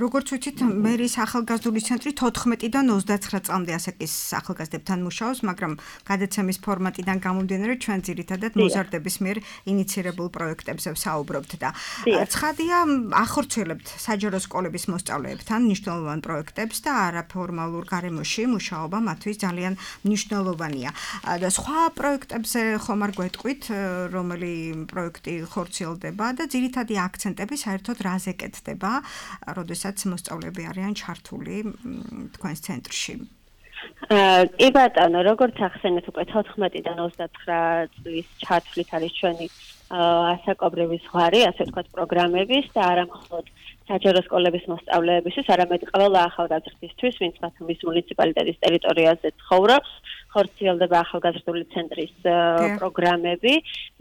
როგორც ვიცით, მერიის ახალგაზრდული ცენტრი თოთხმეტიდან ოცდაცხრა წლამდე ასაკის ახალგაზრდებთან მუშაობს, მაგრამ გადაცემის ფორმატიდან გამომდინარე ჩვენ ძირითადად მოზარდების მიერ ინიცირებულ პროექტებზე ვსაუბრობთ და ცხადია, ახორციელებთ საჯარო სკოლების მოსწავლეებთან მნიშვნელოვან პროექტებს და არაფორმალურ გარემოში მუშაობა მათთვის ძალიან მნიშვნელოვანია. და სხვა პროექტებზე ხომ არ გვეტყვით, რომელი პროექტი ხორციელდება და ძირითადი აქცენტები საერთოდ რაზე კეთდება, როდესაც მოსწავლეები არიან ჩართული თქვენს ცენტრში? კი ბატონო, როგორც ახსენეთ, უკვე თოთხმეტიდან ოცდაცხრა წლის ჩათვლით არის ჩვენი ასაკობრივი ზღვარი, ასე ვთქვათ, პროგრამების და არა მხოლოდ საჯარო სკოლების მოსწავლეებისთვის, არამედ ყველა ახალგაზრდისთვის, ვინც ბათუმის მუნიციპალიტეტის ტერიტორიაზე ცხოვრობს, ხორციელდება ახალგაზრდული ცენტრის პროგრამები,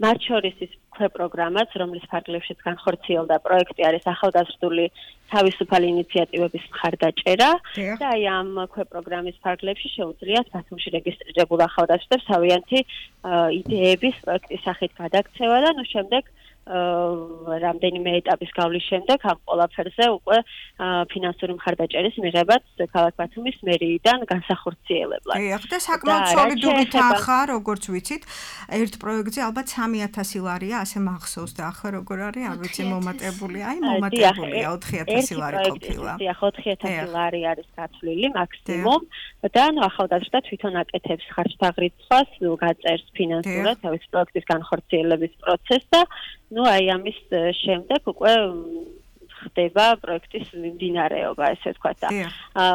მათ შორის ის ქვეპროგრამაც, რომლის ფარგლებშიც განხორციელდა პროექტი არის ახალგაზრდული თავისუფალი ინიციატივების მხარდაჭერა და აი ამ ქვეპროგრამის ფარგლებში შეუძლიათ ბათუმში რეგისტრირებულ ახალგაზრდებს თავიანთი იდეების პროექტის სახით გადაქცევა და ნუ შემდეგ რამდენიმე ეტაპის გავლის შემდეგ ამ ყველაფერზე უკვე ფინანსური მხარდაჭერის მიღებაც ქალაქ ბათუმის მერიიდან განსახორციელებლად. დიახ, და საკმაოდ სოლიდური თანხა, როგორც ვიცით, ერთ პროექტზე ალბათ სამი ათასი ლარია, ასე მახსოვს და ახლა როგორ არის, არ ვიცი, მომატებული, აი მომატებულია ოთხი ათასი ლარი ყოფილა. დიახ, ოთხი ათასი ლარი არის გათვლილი მაქსიმუმ და ნუ ახალგაზრდა თვითონ აკეთებს ხარჯთაღრიცხვას, გაწერს ფინანსურად თავის პროექტის განხორციელების პროცესს და ну აი ამის შემდეგ უკვე ხდება პროექტის მიმდინარეობა, ესე ვთქვათ და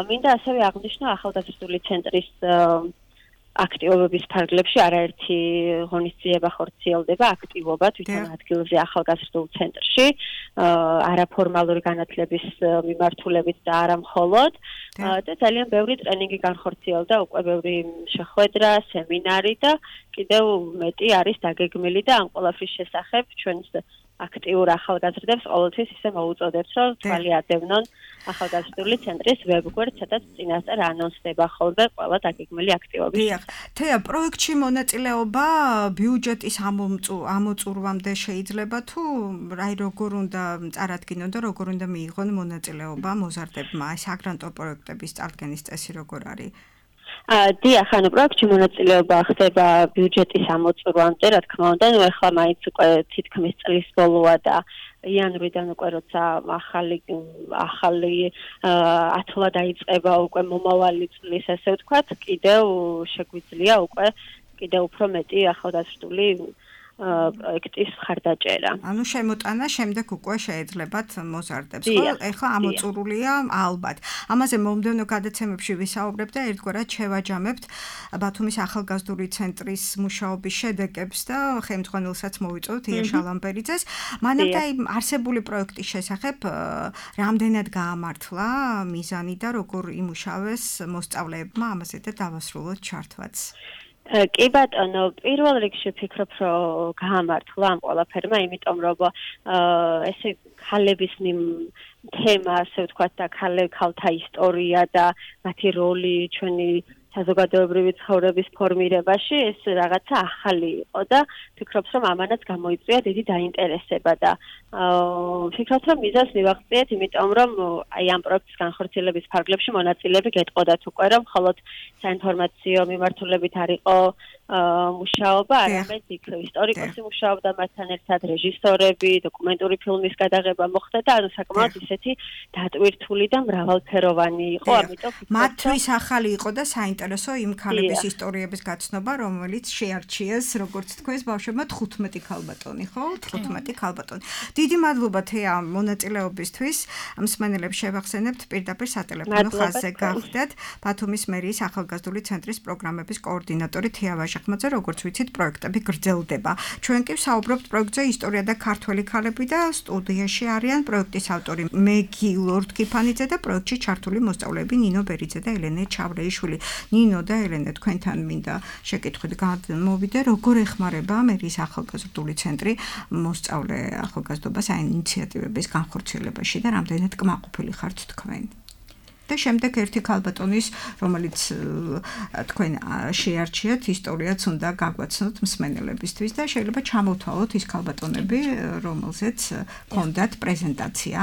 მინდა ასევე აღნიშნო ახალგაზრდული ცენტრის აქტივობების ფარგლებში არაერთი ღონისძიება ხორციელდება, აქტივობა თვითონ ადგილზე ახალგაზრდულ ცენტრში, არაფორმალური განათლების მიმართულებით და არა მხოლოდ და ძალიან ბევრი ტრენინგი განხორციელდა, უკვე ბევრი შეხვედრა, სემინარი და კიდევ მეტი არის დაგეგმილი და ამ ყველაფრის შესახებ ჩვენს აქტიურ ახალგაზრდებს ყოველთვის ისე მოუწოდებთ, რომ თვალი ადევნონ ახალგაზრდული ცენტრის ვებგვერდს, სადაც წინასწარ ანონსდება ხოლმე ყველა დაგეგმილი აქტივობები. დიახ, თეა, პროექტში მონაწილეობა ბიუჯეტის ამოწურვამდე შეიძლება თუ აი როგორ უნდა წარადგინონ და როგორ უნდა მიიღონ მონაწილეობა მოზარდებმა ეს აგრანტო პროექტების წარდგენის წესი როგორ არის? დიახ, ანუ პროექტში მონაწილეობა ხდება ბიუჯეტის ამოწურვამდე, რა თქმა უნდა, ნუ ახლა მაინც უკვე თითქმის წლის ბოლოა და იანვრიდან უკვე როცა ახალი ახალი ათლა დაიწყება უკვე მომავალი წლის, ესე ვთქვათ, კიდევ შეგვიძლია უკვე კიდევ უფრო მეტი ახალგაზრდული პროექტის მხარდაჭერა. ანუ შემოტანა შემდეგ უკვე შეეძლებათ მოზარდებს, ხო? ეხლა ამოწურულია ალბათ. ამაზე მომდევნო გადაცემებში ვისაუბრებ და ერთგვარად შევაჯამებთ ბათუმის ახალგაზრდული ცენტრის მუშაობის შედეგებს და ხელმძღვანელსაც მოვიწვევთ ია შალამბერიძეს. მანამდე აი არსებული პროექტის შესახებ რამდენად გაამართლა მიზანი და როგორ იმუშავეს მოსწავლეებმა ამაზე და დავასრულოთ ჩართვაც. კი ბატონო, პირველ რიგში ვფიქრობ, რომ გაამართლა ამ ყველაფერმა, იმიტომ რომ ესე ქალების თემა, ასე ვთქვათ, და ქალთა ისტორია და მათი როლი ჩვენი საზოგადოებრივი ცხოვრების ფორმირებაში ეს რაღაცა ახალი იყო და ვფიქრობ, რომ ამანაც გამოიწვია დიდი დაინტერესება და ვფიქრობ, რომ მიზანს მივაღწიეთ, იმიტომ რომ აი ამ პროექტის განხორციელების ფარგლებში მონაწილეები გეტყოდათ უკვე, რომ მხოლოდ საინფორმაციო მიმართულებით არ იყო მუშაობა, არამედ იქ ისტორიკოსი მუშაობდა მასთან ერთად, რეჟისორები, დოკუმენტური ფილმის გადაღება მოხდა და ანუ საკმაოდ ისეთი დატვირთული და მრავალფეროვანი იყო, ამიტომ მათთვის ახალი იყო და საინტერესო იმ ქალების ისტორიების გაცნობა, რომელიც შეარჩიეს, როგორც თქვენს ბავშვებმა თხუთმეტი ქალბატონი, ხო? თხუთმეტი ქალბატონი. დიდი მადლობა თეა მონაწილეობისთვის. მსმენელებს შევახსენებთ პირდაპირ სატელეფონო ხაზზე გახდეთ ბათუმის მერიის ახალგაზრდული ცენტრის პროგრამების კოორდინატორი თეა ვაჟახმაძე, როგორც ვიცით, პროექტები გრძელდება. ჩვენ კი ვსაუბრობთ პროექტზე ისტორია და ქართველი ქალები და სტუდიაში არიან პროექტის ავტორი მეგი ლორდ-კიფანიძე და პროექტში ჩართული მოსწავლეები ნინო ბერიძე და ელენე ჩავრეიშვილი. ნინო და ელენე, თქვენთან მინდა შეკითხვით გამოვიდე, როგორ ეხმარება მერიის ახალგაზრდული ცენტრი მოსწავლე ახალგაზრდობას აი ინიციატივების განხორციელებაში და რამდენად კმაყოფილი ხართ თქვენ? და შემდეგ ერთი ქალბატონის, რომელიც თქვენ შეარჩიათ, ისტორიაც უნდა გაგვაცნოთ მსმენელებისთვის და შეიძლება ჩამოვთვალოთ ის ქალბატონები, რომელზეც ჰქონდათ პრეზენტაცია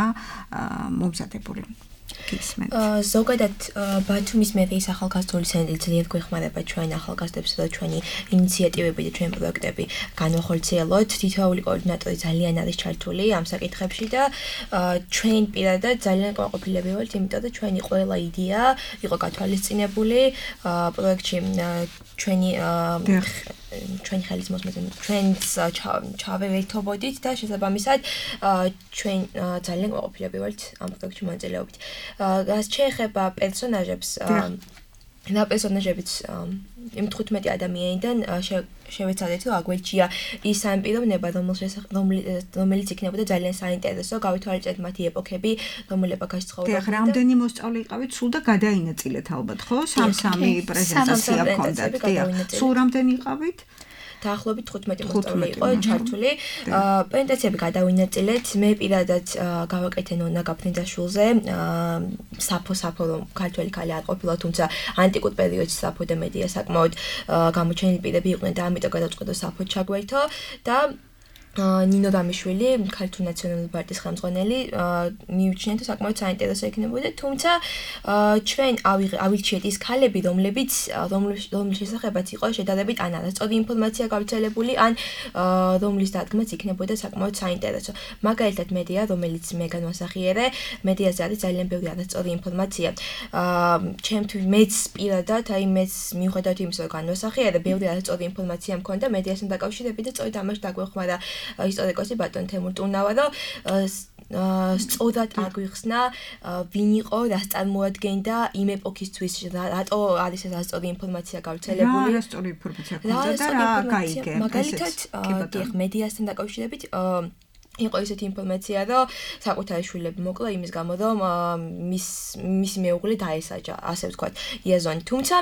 მომზადებული. ზოგადად ბათუმის მერიის ახალგაზრდული ცენტრი ძალიან გვეხმარება ჩვენ ახალგაზრდებსა და ჩვენი ინიციატივები და ჩვენი პროექტები განვახორციელოთ. თითოეული კოორდინატორი ძალიან არის ჩართული ამ საკითხებში და ჩვენ პირადად ძალიან კმაყოფილები ვართ, იმიტომ რომ ჩვენი ყველა იდეა იყო გათვალისწინებული პროექტში ჩვენი ჩვენი ხელის მოსმენით ჩვენს ჩავერთობოდით და შესაბამისად ჩვენ ძალიან კმაყოფილები ვართ ამ პროექტში მონაწილეობით. რაც შეეხება პერსონაჟებს და პერსონაჟებიც იმ თხუთმეტი ადამიანიდან შევეცადეთ, რომ აგვერჩია ის სამი პიროვნება, რომელიც იქნებოდა ძალიან საინტერესო, გავითვალისწინეთ მათი ეპოქები, რომელ ეპოქაში ცხოვრობდნენ. დიახ, რამდენი მოსწავლე იყავით, სულ და გადაინაწილეთ ალბათ, ხო? სამ-სამი პრეზენტაცია ჰქონდათ. დიახ, სულ რამდენი იყავით? დაახლოებით თხუთმეტი მოსწავლე იყო ჩართული. პრეზენტაციები გადავინაწილეთ. მე პირადად გავაკეთე ნონა გაფრინძაშვილზე. საფო საფო რომ ქართველი ქალი არ ყოფილა, თუმცა ანტიკურ პერიოდში საფო და მედია საკმაოდ გამოჩენილი პირები იყვნენ და ამიტომ გადავწყვიტე საფო ჩაგვერთო და ნინო დამიშვილი, ქართული ნაციონალური პარტიის ხელმძღვანელი, მივიჩნიეთ, რომ საკმაოდ საინტერესო იქნებოდა, თუმცა ჩვენ ავირჩიეთ ის ქალები, რომლებიც რომლის შესახებაც იყო შედარებით ან არასწორი ინფორმაცია გავრცელებული, ან რომლის დადგმაც იქნებოდა საკმაოდ საინტერესო. მაგალითად, მედია, რომელიც მე განვასახიერე, მედიაზე არის ძალიან ბევრი არასწორი ინფორმაცია. ჩემთვის მეც პირადად, აი მეც მიუხედავად იმისა, რომ განვასახიერე, ბევრი არასწორი ინფორმაცია მქონდა მედიასთან დაკავშირებით და სწორედ ამაში დაგვეხმარა ისტორიკოსი ბატონ თემურ ტუნავა, რომ სწორად აგვიხსნა ვინ იყო, რას წარმოადგენდა იმ ეპოქისთვის, რატო არის ეს არასწორი ინფორმაცია გავრცელებული. რა არასწორი ინფორმაცია ქონდა და რა გაიგე. მაგალითად, დიახ, მედიასთან დაკავშირებით იყო ისეთი ინფორმაცია, რომ საკუთარი შვილები მოკლა იმის გამო, რომ მის მისი მეუღლე დაესაჯა, ასე ვთქვათ, იაზონი. თუმცა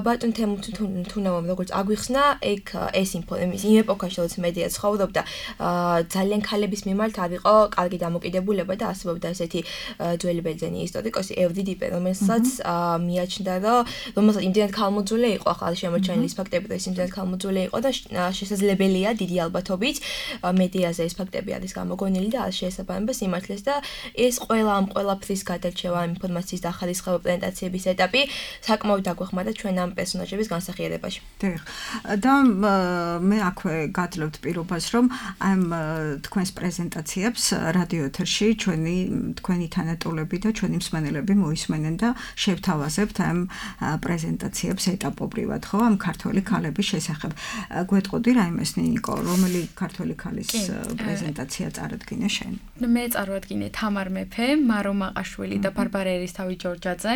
ბატონ თემურ ტუნავამ როგორც აგვიხსნა, ეგ ეს ინფორმაცია იმ ეპოქაში, როცა მედია ცხოვრობდა, ძალიან ქალების მიმართ არ იყო კარგი დამოკიდებულება და არსებობდა ესეთი ძველი ბერძენი ისტორიკოსი ევდიდიპე, რომელსაც მიაჩნდა, რომ რომელსაც იმდენად ქალმოძულე იყო, ახლა შემოჩენილი ის ფაქტები, რომ ის იმდენად ქალმოძულე იყო და შესაძლებელია დიდი ალბათობით მედიაზე ეს ფაქტები არის გამოგონილი და არ შეესაბამება სიმართლეს და ეს ყველა ამ ყველაფრის გადარჩევა ინფორმაციის დახარისხება პრეზენტაციების ეტაპი საკმაოდ დაგვეხმარა ჩვენ ამ პერსონაჟების განსახიერებაში. დიახ. და მე აქვე გადლებთ პირობას, რომ ამ თქვენს პრეზენტაციებს რადიო ეთერში ჩვენი თქვენი თანატოლები და ჩვენი მსმენელები მოისმენენ და შევთავაზებთ ამ პრეზენტაციებს ეტაპობრივად, ხო, ამ ქართველი ქალების შესახებ. გვეტყოდი რაიმეს ნინიკო, რომელი ქართველი ქალის პრეზენტაცია წარადგინე შენ? მე წარვადგინე თამარ მეფე, მარო მაყაშვილი და ბარბარა ერისთავი ჯორჯაძე.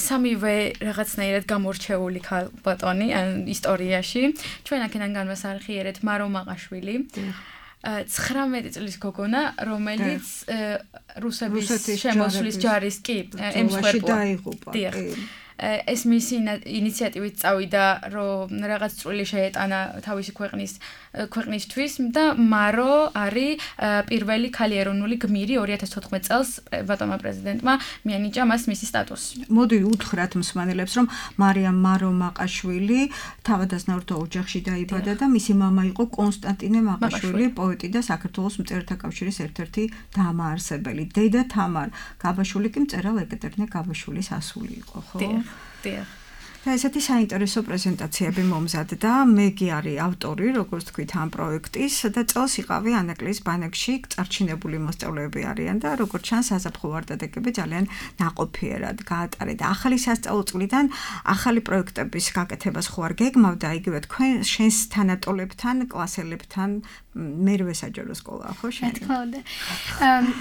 სამივე რაღაცნაირად გამორჩეული ბატონი ისტორიაში. ჩვენ აქედან განვასახიერეთ მარო მაყაშვილი. ცხრამეტი წლის გოგონა, რომელიც რუსების შემოსვლის ჯარის კი ემსხვერპლა. დიახ. ეს მისი ინიციატივით წავიდა, რომ რაღაც წვლილი შეეტანა თავისი ქვეყნის ქვეყნისთვის და მარო არის პირველი ქალი ეროვნული გმირი ორი ათას თოთხმეტ წელს ბატონმა პრეზიდენტმა მიანიჭა მას მისი სტატუსი. მოდი უთხრათ მსმენელებს, რომ მარიამ მარო მაყაშვილი თავადაზნაურთა ოჯახში დაიბადა და მისი მამა იყო კონსტანტინე მაყაშვილი, პოეტი და საქართველოს მწერალთა კავშირის ერთ-ერთი დამაარსებელი. დედა თამარ გაბაშვილი კი მწერალ ეკატერინე გაბაშვილის ასული იყო, ხო? დიახ. და ესეთი საინტერესო პრეზენტაციები მომზადდა. მეგი არის ავტორი, როგორც თქვით, ამ პროექტის და წელს იყავი ანაკლიის ბანაკში წარჩინებული მოსწავლეები არიან და როგორც ჩანს, საზაფხო ვარდადეგები ძალიან ნაყოფიერად გაატარეთ. ახალი სასწავლო წლიდან ახალი პროექტების გაკეთებას ხო არ გეგმავდა, იგივე თქვენ შენს თანატოლებთან, კლასელებთან მერვე საჯარო სკოლა, ხო შენ? რა თქმა უნდა.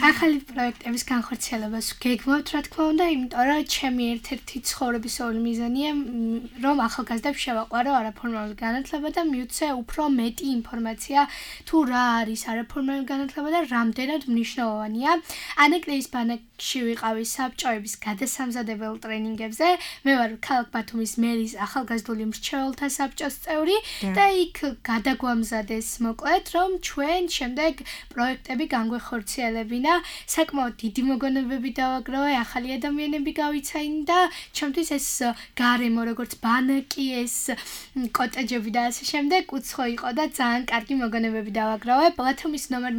ახალი პროექტების განხორციელებას გეგმავთ, რა თქმა უნდა, იმიტომ რომ ჩემი ერთ-ერთი ცხოვრებისეული მიზანია რომ ახალგაზრდებს შევაყვარო არაფორმალური განათლება და მივცე უფრო მეტი ინფორმაცია თუ რა არის არაფორმალური განათლება და რამდენად მნიშვნელოვანია. ანაკლიის ბანაკში ვიყავი საბჭოების გადასამზადებელ ტრენინგებზე. მე ვარ ქალაქ ბათუმის მერის ახალგაზრდული მრჩეველთა საბჭოს წევრი და იქ გადაგვამზადეს მოკლედ, რომ ჩვენ შემდეგ პროექტები განგვეხორციელებინა. საკმაოდ დიდი მოგონებები დავაგროვე, ახალი ადამიანები გავიცანი და ჩემთვის ეს გარემო როგორც ბანაკი, ეს კოტეჯები და ასე შემდეგ უცხო იყო და ძალიან კარგი მოგონებები დავაგროვე. ბათუმის ნომერ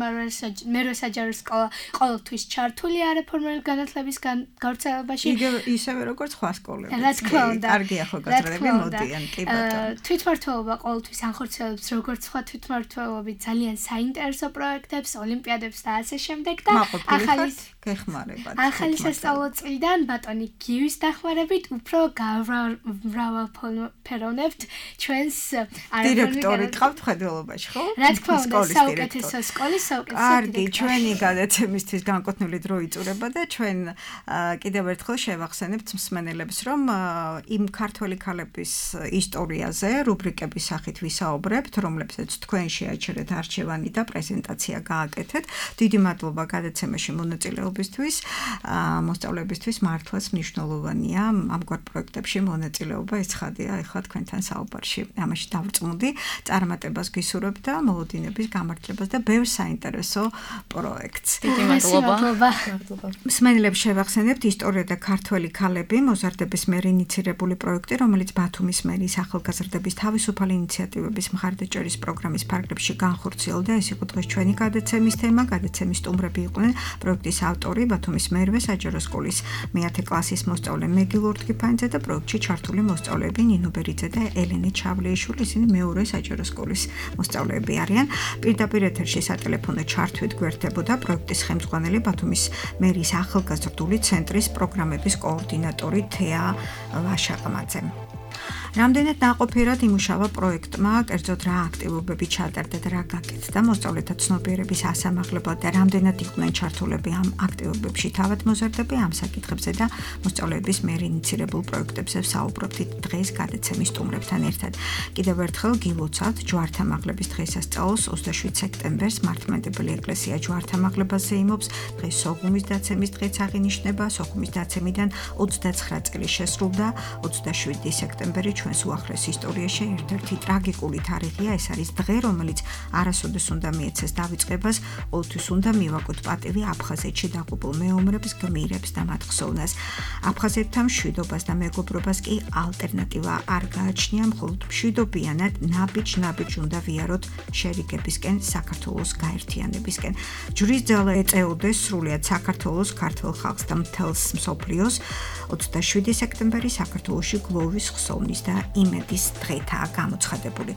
მერვე საჯარო სკოლა ყოველთვის ჩართული არაფორმალური განათლების გავრცელებაში. ისევე როგორც სხვა სკოლები. რა თქმა უნდა. კარგი ახალგაზრდები მოდიან, კი ბატონო. თვითმმართველობა ყოველთვის ანხორციელებს როგორც სხვა თვითმმართველობები ძალიან საინტერესო პროექტებს, ოლიმპიადებს და ასე შემდეგ და ახალი გეხმარებათ. ახალი სასწავლო წლიდან ბატონი გივის დახმარებით უფრო გავმრავალფეროვნებთ ჩვენს დირექტორი გყავთ მხედველობაში, ხო? რა თქმა უნდა, საუკეთესო სკოლის საუკეთესო დირექტორი. კარგი, ჩვენი გადაცემისთვის განკუთვნილი დრო იწურება და ჩვენ კიდევ ერთხელ შევახსენებთ მსმენელებს, რომ იმ ქართველი ქალების ისტორიაზე რუბრიკების სახით ვისაუბრებთ, რომლებსაც თქვენ შეაჩერეთ არჩევანი და პრეზენტაცია გააკეთეთ. დიდი მადლობა გადაცემაში მონაწილეობისთვის. უმრავლესობისთვის მოსწავლეებისთვის მართლაც მნიშვნელოვანია ამგვარ პროექტებში მონაწილეობა. ეს ხადია ეხლა თქვენთან საუბარში. ამაში დავწმუნდი, წარმატებას გისურვებ და მოლოდინების გამართლებას და ბევრ საინტერესო პროექტს. დიდი მადლობა. მსმენელებს შევახსენებთ ისტორია და ქართველი ქალები მოზარდების მიერ ინიცირებული პროექტი, რომელიც ბათუმის მერის ახალგაზრდების თავისუფალი ინიციატივების მხარდაჭერის პროგრამის ფარგლებში განხორციელდა. ეს იყო დღეს ჩვენი გადაცემის თემა. გადაცემის სტუმრები იყვნენ პროექტის ავტორი, ბათუმის მერვე საჯარო სკოლის მეათე კლასის მოსწავლე მეგი ლორთქიფანიძე და პროექტში ჩართული მოსწავლეები ნინო ბერიძე და ელენე ჩავლეიშვილი. ისინი მეორე საჯარო სკოლის მოსწავლეები არიან. პირდაპირ ეთერში სატელეფონო ჩართვით გვერდებოდა პროექტის ხელმძღვანელი ბათუმის მერის ახალგაზრდული ცენტრის პროგრამების კოორდინატორი თეა ვაშაყმაძე. რამდენად ნაყოფიერად იმუშავა პროექტმა, კერძოდ რა აქტივობები ჩატარდა და რა გაკეთდა მოსწავლეთა ცნობიერების ასამაღლებლად და რამდენად იყვნენ ჩართულები ამ აქტივობებში თავად მოზარდები, ამ საკითხებზე და მოსწავლეების მიერ ინიცირებულ პროექტებზე ვსაუბრობთ დღეს გადაცემის სტუმრებთან ერთად. კიდევ ერთხელ გილოცავთ ჯვართამაღლების დღესასწაულს ოცდაშვიდ სექტემბერს მართლმადიდებელი ეკლესია ჯვართამაღლებას ზეიმობს. დღეს სოხუმის დაცემის დღეც აღინიშნება. სოხუმის დაცემიდან ოცდაცხრა წელი შესრულდა. ოცდაშვიდი სექტემბერი ჩვენს უახლეს ისტორიაში ერთ-ერთი ტრაგიკული თარიღია. ეს არის დღე, რომელიც არასოდეს უნდა მიეცეს დავიწყებას, ყოველთვის უნდა მივაკოთ პატივი აფხაზეთში დაღუპულ მეომრებს, გმირებს და მათ ხსოვნას. აფხაზეთთან მშვიდობას და მეგობრობას კი ალტერნატივა არ გააჩნია, მხოლოდ მშვიდობიანად ნაბიჯ-ნაბიჯ უნდა ვიაროთ შერიგებისკენ, საქართველოს გაერთიანებისკენ. ჯვრის ძალა ეწეოდეს სრულიად საქართველოს, ქართველ ხალხს და მთელს მსოფლიოს. ოცდაშვიდი სექტემბერი საქართველოში გლოვის, ხსოვნის და იმედის დღეთაა გამოცხადებული.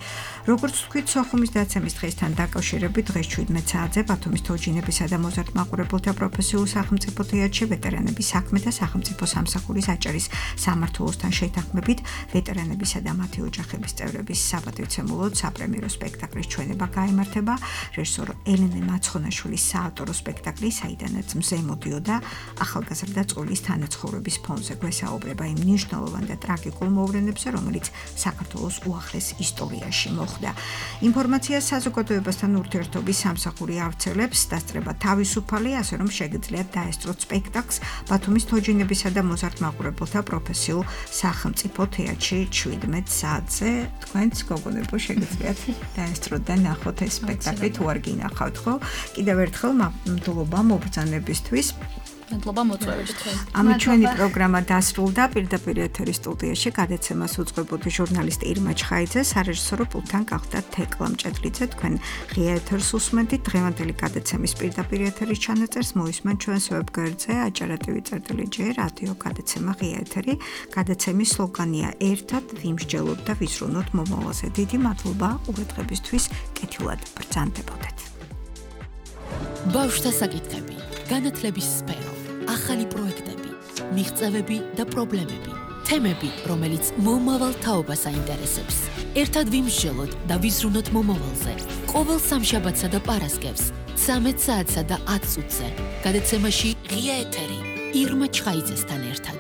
როგორც ვთქვით, სოხუმის დაცემის დღესთან დაკავშირებით დღეს შვიდმეტ საათზე ბათუმის თოჯინებისა და მოზარდ-მაყურებელთა პროფესიულ სახელმწიფო თეატრში ვეტერანების საქმე და სახელმწიფო სამსახურის აჭარის სამმართველოსთან შეთანხმებით ვეტერანებისა და მათი ოჯახების წევრების საპატივცემულოდ საპრემიერო სპექტაკლის ჩვენება გაიმართება. რეჟისორ ელენე მაცხონაშვილის საავტორო სპექტაკლი, საიდანაც მზე მოდიოდა ახალგაზრდა წყვილის თანაცხოვრების ფონზე გვესაუბრება იმ მნიშვნელოვან და ტრაგიკულ მოვლენებზე, რომელიც საქართველოს უახლეს ისტორიაში მოხდა. ინფორმაციას საზოგადოებასთან ურთიერთობის სამსახური ავრცელებს, დასწრება თავისუფალი, ასე რომ შეგიძლიათ დაესწროთ სპექტაკლს ბათუმის თოჯინებისა და მოზარდ-მაყურებელთა პროფესიულ სახელმწიფო თეატრში შვიდმეტ საათზე. თქვენც გოგონებო შეგიძლიათ დაესწროთ და ნახოთ ეს სპექტაკლი თუ არ გინახავთ, ხო? კიდევ ერთხელ მადლობა მობრძანებისთვის. მადლობა მოწვევისთვის. ამით ჩვენი პროგრამა დასრულდა. პირდაპირ ეთერის სტუდიაში გადაცემას უძღვებოდი ჟურნალისტი ირმა ჩხაიძე, სარეჟისორო პულტთან გახდა თეკლა მჭედლიძე. თქვენ ღია ეთერს უსმენთ. დღევანდელი გადაცემის პირდაპირ ეთერის ჩანაწერს მოისმენთ ჩვენს ვებგვერდზე აჭარა.ტვ წერტილი ჯერ რადიო გადაცემა ღია ეთერი. გადაცემის სლოგანია ერთად ვიმსჯელოთ და ვიზრუნოთ მომავალზე. დიდი მადლობა ყურადღებისთვის. კეთილად ბრძანდებოდეთ. ბავშვთა საკითხები, განათლების სფერო, ახალი პროექტები, მიღწევები და პრობლემები, თემები, რომელიც მომავალ თაობას აინტერესებს. ერთად ვიმსჯელოთ და ვიზრუნოთ მომავალზე. ყოველ სამშაბათსა და პარასკევს, ცამეტ საათსა და ათ წუთზე. გადაცემაში ღია ეთერი ირმა ჩხაიძესთან ერთად.